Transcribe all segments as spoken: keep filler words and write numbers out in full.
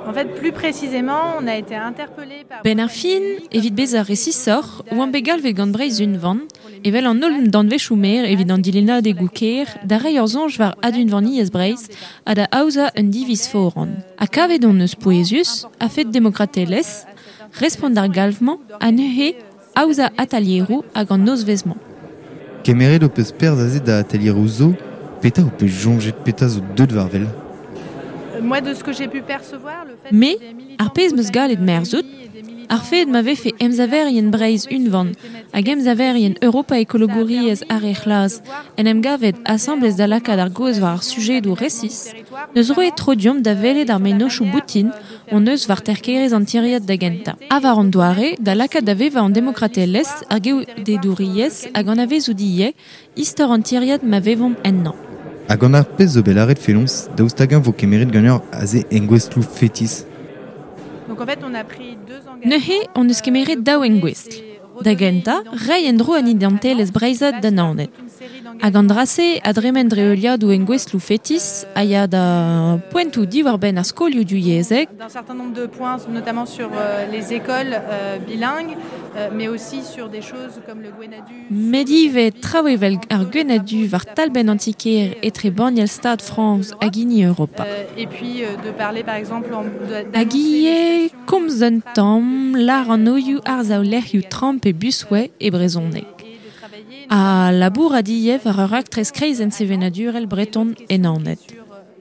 En fait, plus précisément, on a été interpellé par Ben ar fin, evit bezañ resisoc'h, oan bet galvet gant Breizh unvan, evel an holl danvezioù maer evit an dilennadegoù kêr, da reiñ ur soñj war adunvaniezh Breizh ha da aozañ un diviz foran. Ha kavet hon eus pouezus, a-fet demokratelezh, respont d'ar galv-mañ ha neuze aozañ atelieroù hag an nozvezh-mañ. Kemeret ho peus perzh aze da atelieroù zo, petra ho peus soñjet, petra zo deuet war wel ? Moi, de ce que j'ai pu percevoir, le fait Me, que des militants ar pezh 'm eus gallet merzout, ar fed ma vefe emsaverien Breizh unvan hag emsaverien Europa ekologouriezh ar re c'hlas en em gavet asambles da lakaat ar gaoz war ar sujedoù resis, neus roet tro deomp da welet ar mennozhioù boutin hon eus war terkerezh an tiriad da gentañ. Ha war an doare da lakaat da vevañ an demokratelezh, ar geodedouriezh hag an anavezout ivez istor an tiriad ma vevomp ennañ. Hag an ar pezh zo bet lâret fenoz, daoust hag-eñ vo kemeret ganeoc'h aze engouestloù fetis. Donc en fait, on a pris deux engagements. Neuze, hon eus kemeret daou engouestl. Da gentañ, reiñ en-dro an identelezh breizhat da Naoned. Hag an dra-se a dremen dre heuliadoù engouestloù fetis a ya da poentoù diwar-benn ar skolioù divyezhek. D'un certain nombre de points, notamment sur, euh, les écoles, euh, bilingues, euh, mais aussi sur des choses comme le Gwenn-ha-du. Met ivez traoù evel ar Gwenn-ha-du war talbenn antiker etre banniel Stad Frañs hag hini Europa. Euh, et puis, euh, de parler par exemple en, de, Hag ivez komz un tamm lâr an anvioù ar zaolec'hioù tramp e busway e brezhoneg. Ha labour a diev war ur raktres kreizenn sevenadurel breton e Naoned.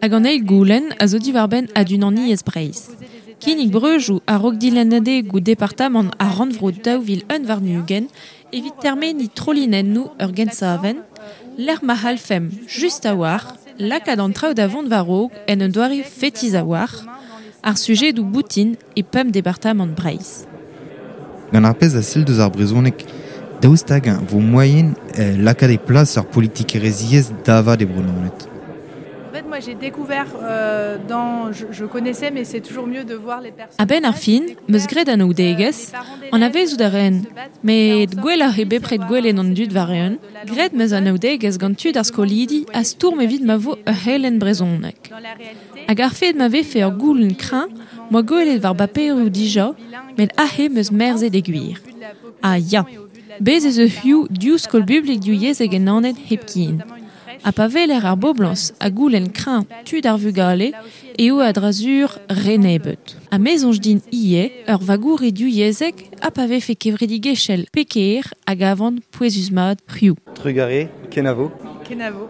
Hag an eil goulenn a zo diwar-benn adunaniezh Breizh. Kinnig breujoù a-raok dilennadegoù departamant ar rannvro daou vil un warn-ugent evit termeniñ trolinennoù ur gensavenn, lec'h ma c'hallfemp just a-walc'h lakaat an traoù da vont war-raok en un doare fetis a-walc'h, ar sujedoù boutin e pemp departamant Breizh. Gant ar pezh a sell deus ar brezhoneg, daoust hag-eñ vo moaien, euh, lakaat e plas ur politikerezhiezh davat e Bro-Naoned. En fait, moi, j'ai découvert, euh, dans, je, je connaissais, mais c'est toujours mieux de voir les personnes. A-benn ar fin, 'm eus graet anaoudegezh, anavezout a ren, met gwelloc'h eo bepred gwelet an dud war-eeun, graet 'm eus anaoudegezh gant tud ar skolidi a stourm evit ma vo ur c'helenn brezhoneg. Hag ar fed ma vefe ur goulenn kreñv, 'm boa gwelet war baperoù dija, met aze 'm eus merzet e gwir. Ah ya, bez ez eus hiziv div skol publik divyezhek en Naoned hepken. Ha pa weler ar boblañs ha goulenn kreñv tud ar vugale eo a-dra-sur re nebeut. Ha me soñj din ivez ur vagouri divyezhek ha pa vefe kevredigezhel pe kêr hag a van pouezus-mat hiziv. Trugarez, kenavo. Kenavo.